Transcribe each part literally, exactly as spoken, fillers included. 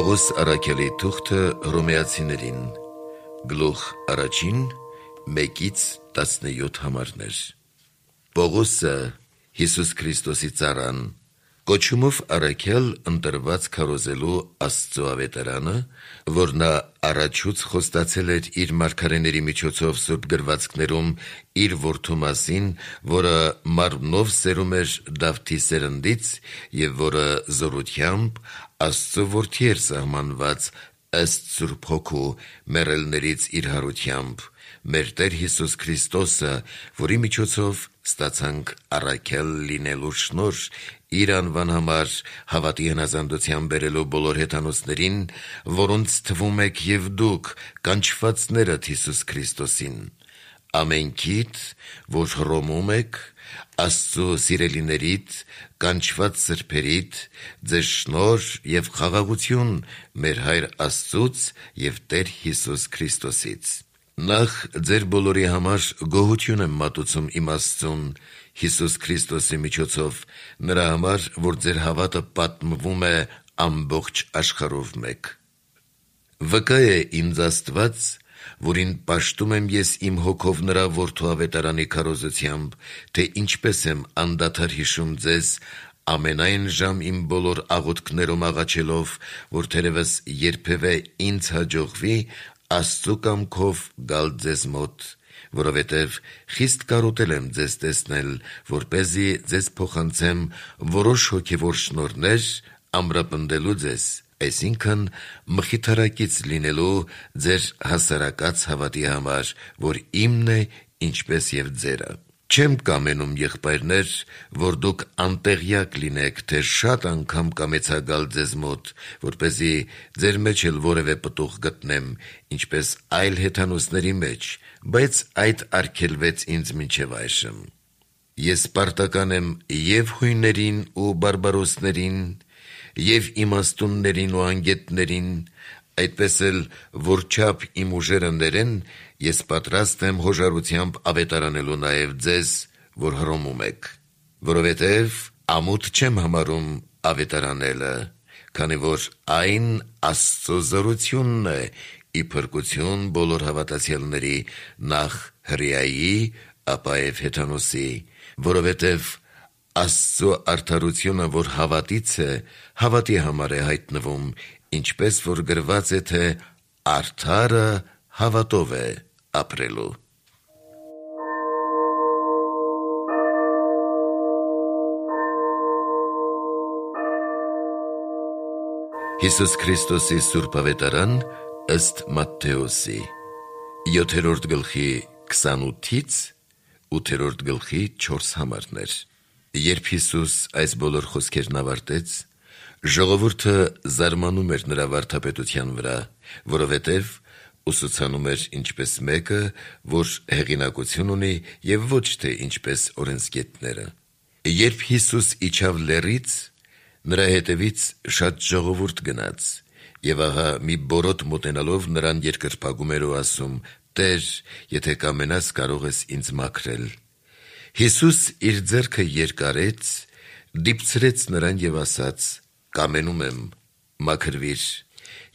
Պողոս առաքյալի թուղթը Հռոմեացիներին, գլուխ առաջին, մեկից տասնյոթ համարներ։ Պողոսը, Հիսուս Քրիստոսի ծառան, կոչումով առաքյալ ընտրված քարոզելու Աստծո ավետարանը, որ նա առաջուց խոստացել էր իր մարգարեների միջոցով սուրբ գրվածքներում իր որդու մասին, որը մարմնով սերում էր Դավթի սերնդից և որը զորությամբ Աստծո որդի էր սահմանված ըստ Սուրբ Հոգու մեռելներից իր հարությամբ, մեր Տեր Հիսուս Քրիստոսը, որի միջոցով ստացանք առաքյալ լինելու շնորհ, իր անվան համար հավատի հնազանդության բերելու բոլոր հեթանոսներին, որոնց թվում եք և դուք, կանչվածներդ Հիսուս Քրիստոսին, ամենքիդ, որ Հռոմում եք, Աստծո սիրելիներիդ, կանչված սրբերիդ, ձեզ շնորհ և խաղաղություն մեր Հայր Աստծուց և Տեր Հիսուս Քրիստոսից։ Նախ ձեր բոլորի համար գոհություն եմ մատուցում իմ Աստծուն Հիսուս Քրիստոսի միջոցով, նրա համար, որ ձեր հավատը պատմվում է ամբողջ աշխարհով մեկ։ Վկա է ինձ Աստված, որին պաշտում եմ ես իմ հոգով նրա որդու ավետարանի քարոզությամբ, թե ինչպես եմ անդադար հիշում ձեզ ամենայն ժամ իմ բոլոր աղոթքներում աղաչելով, որ թերևս երբևէ ինձ հաջողվի Աստծո կամքով գալ ձեզ մոտ, որովհետև խիստ կարոտել եմ ձեզ տեսնել, որպեսզի ձեզ փոխանցեմ որոշ հոգևոր շնորհներ ամրապնդելու ձեզ, այսինքն մխիթարակից լինելու ձեր հասարակած հավատի համար, որ իմն է, ինչպես և ձերը։ Չեմ կամենում, եղբայրներ, որ դուք անտեղյակ լինեք, թե շատ անգամ կամեցա գալ ձեզ մոտ, որպեսզի ձեր մեջ էլ որևէ պտուղ գտնեմ, ինչպես այլ հեթանոսների մեջ, բայց այդ արգելվեց ինձ մինչև այժմ։ Ես պարտական եմ և հույներին ու բարբարոսներին, և իմաստուններին ու անգետներին, այդպես էլ, որչափ իմ ուժերը ներեն, ես պատրաստ եմ հոժարությամբ ավետարանելու նաև ձեզ, որ Հռոմում եք, որովհետև ամոթ չեմ համարում ավետարանելը, քանի որ այն Աստծո զորությունն է ի փրկություն բոլոր հավատացյալների, նախ հրեայի, ապա և հեթանոսի, որովհետև Աստծո արդարությունը, որ հավատից է, հավատի համար է հայտնվում, ինչպես որ գրված է, թե արդարը հավատով է ապրելու։ Հիսուս Քրիստոսի սուրբ ավետարան ըստ Մատթեոսի, յոթերորդ գլխի քսանութից ութերորդ գլխի չորս համարներ։ Երբ Հիսուս այս բոլոր խոսքերն ավարտեց, ժողովուրդը զարմանում էր նրա վարդապետության վրա, որովհետև ուսուցանում էր ինչպես մեկը, որ հեղինակություն ունի և ոչ թե ինչպես օրենսգետները։ Երբ Հիսուս իջավ լեռից, նրա հետևից շատ ժողովուրդ գնաց, և ահա մի բորոտ մոտենալով նրան երկրպագում էր ու ասում. «Տեր, եթե կամենաս, կարող ես ինձ մաքրել»։ Հիսուս իր ձեռքը երկարեց, դիպցրեց նրան և ասաց. «Կամենում եմ, մաքրվիր»։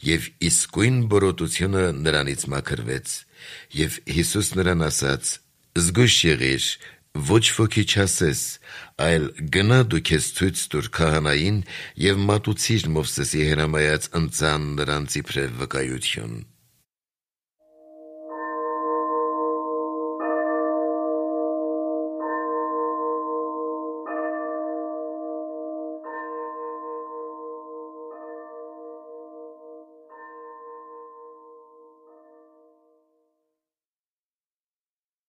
Եվ իսկույն բորոտությունը նրանից մաքրվեց։ Եվ Հիսուս նրան ասաց. «Զգույշ եղիր, ոչ ոքի չասես, այլ գնա դու քեզ ցույց տուր քահանային և մատուցիր Մովսեսի հրամայած ընծան նրանց իբրև վկայություն»։